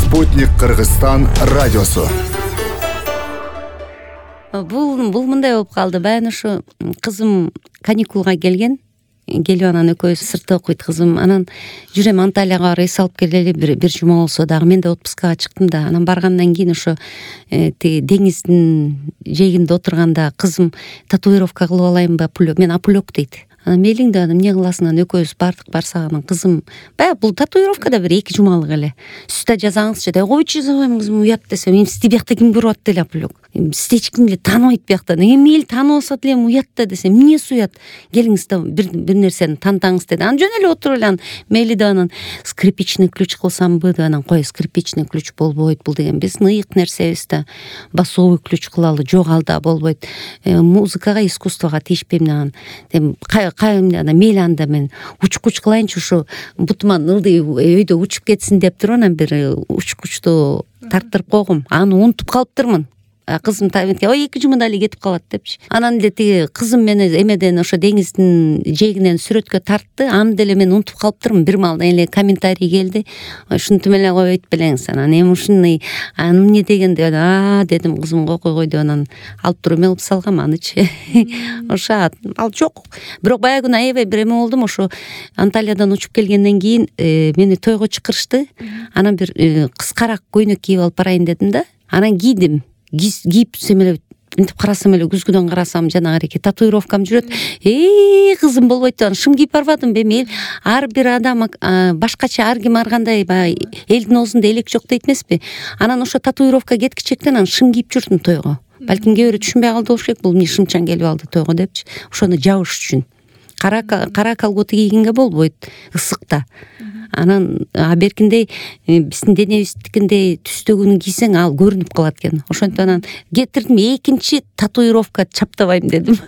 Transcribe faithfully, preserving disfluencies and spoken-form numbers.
Спутник Кыргызстан радиосу. Бул бул мындай болуп калды. Баягы ушу кызым каникулга келген. Келип анан экөөбүз сыртта окуйт кызым. Анан жүрөм Анталияга барып эс алып келели, бир бир жума болсо дагы. Мен да отпускага чыктым да. Анан баргандан кийин ошо тиги деңиздин жээгинде отурганда кызым татуировка кылып алайынбы, мен апулек дейт. Анан мейлиң да эмне кыласың, анан экөөбүз бардык, барсак анан кызым баягы бул татуировка да бир эки жумалык эле. Үстү жазаңызчы деп, койчу жазбайм кызым, уят десем, эми сизди биякта ким көрүп атты эле апулек. Сизди эч ким эле тааныбайт биякта. Эми мейли таанып алса деле уят да десем, эмнеси уят? Келиңиз да бир бир нерсени тантаңыз деди. Анан жөн эле отуруп эле анан мейли да анан скрипичный ключ кылсамбы деп анан кой, скрипичный ключ болбойт, бул деген биздин ыйык нерсебиз да. Басовый ключ кылалы, жок ал да болбойт. Музыкага, искусствого тийишпейм деген. Эми кайымда мейли анда мен учкуч кылайынчы, ушу бутуман ылдый өйдө учуп кетсин деп туруп анан бир учкучту тарттырып койгом. Аны унутуп калыптырмын. Кызым таметке, ой эки жумада эле кетип калат депчи. Анан деле тиги кызым мени эмеден ошо деңиздин жээгинен сүрөткө тартты. Аны деле мен унутуп калыптырмын. Бир маалда эле комментарий келди. Ушинтип эле коюп айтпелеңиз. Анан эми ушуну аны эмне деген деп, а дедим, кызымга койгой деп анан алып туруп эме кылып салгам анычы. Ошо ал жок. Бирок баягы күнү аябай бир эме болдум. Ошо Анталиядан учуп келгенден кийин мени тойго чакырышты. Анан бир кыскараак көйнөк кийип алып барайын дедим да. Анан кийдим. Кийип түшсөм эле мынтип карасам эле күзгүдөн карасам жанагы татуировкам жүрөт. Эй, кызым болбойт деп шым кийип барбадымбы эми? Ар бир адам башкача, ар ким ар кандай баягы элдин оозунда элек жок дейт эмеспи? Анан ошо татуировка кеткичектен анан шым кийип жүрдүм тойго. Балким кээ бирөө түшүнбөй калды болуш керек, бул эмне шымчан келип алды тойго депчи. Ошону жабыш үчүн. Кара кара колготы кийгенге болбойт ысыкта. Анан а беркиндей биздин денебиздикиндей түстөгүнү кийсең ал көрүнүп калат экен. Ошентип анан кетирдим, экинчи татуировка чаптабайм дедим.